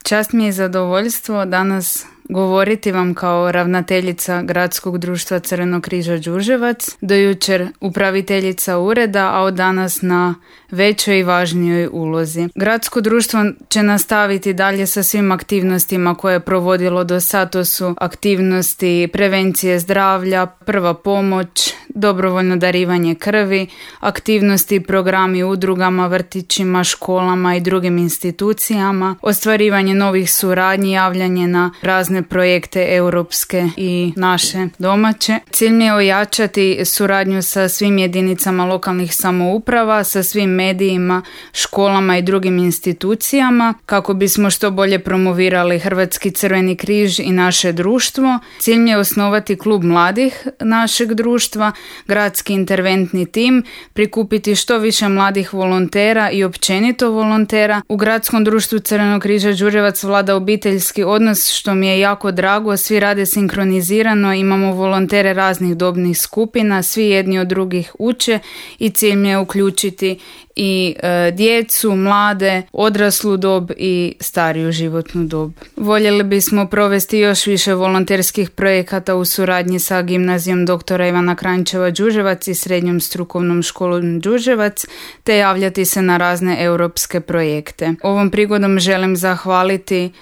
Čast mi je zadovoljstvo danas govoriti vam kao ravnateljica Gradskog društva Crvenog križa Đurđevac, do jučer upraviteljica ureda, a od danas na većoj i važnijoj ulozi. Gradsko društvo će nastaviti dalje sa svim aktivnostima koje je provodilo do sad. To su aktivnosti prevencije zdravlja, prva pomoć, dobrovoljno darivanje krvi, aktivnosti i programi udrugama, vrtićima, školama i drugim institucijama, ostvarivanje novih suradnji, javljanje na razne projekte europske i naše domaće. Cilj mi je ojačati suradnju sa svim jedinicama lokalnih samouprava, sa svim medijima, školama i drugim institucijama kako bismo što bolje promovirali Hrvatski crveni križ i naše društvo. Cilj mi je osnovati klub mladih našeg društva, gradski interventni tim, prikupiti što više mladih volontera i općenito volontera. U Gradskom društvu Crvenog križa Đurđevac vlada obiteljski odnos, što mi je jako drago. Svi rade sinkronizirano, imamo volontere raznih dobnih skupina, svi jedni od drugih uče i cilj mi je uključiti i djecu, mlade, odraslu dob i stariju životnu dob. Voljeli bismo provesti još više volonterskih projekata u suradnji sa gimnazijom dr. Ivana Kranjčeva Đurđevac i srednjom strukovnom školom Đurđevac, te javljati se na razne europske projekte. Ovom prigodom želim zahvaliti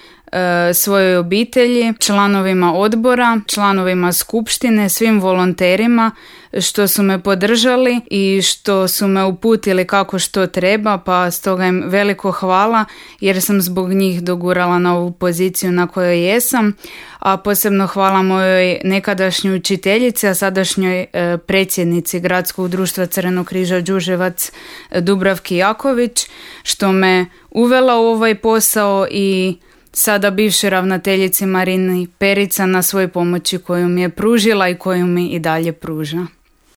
svojoj obitelji, članovima odbora, članovima skupštine, svim volonterima što su me podržali i što su me uputili kako što treba, pa stoga im veliko hvala jer sam zbog njih dogurala na ovu poziciju na kojoj jesam, a posebno hvala mojoj nekadašnjoj učiteljici, a sadašnjoj predsjednici Gradskog društva Crvenog križa Đurđevac Dubravki Jaković što me uvela u ovaj posao i sada bivšoj ravnateljici Marini Perica na svoj pomoći koju mi je pružila i koju mi i dalje pruža.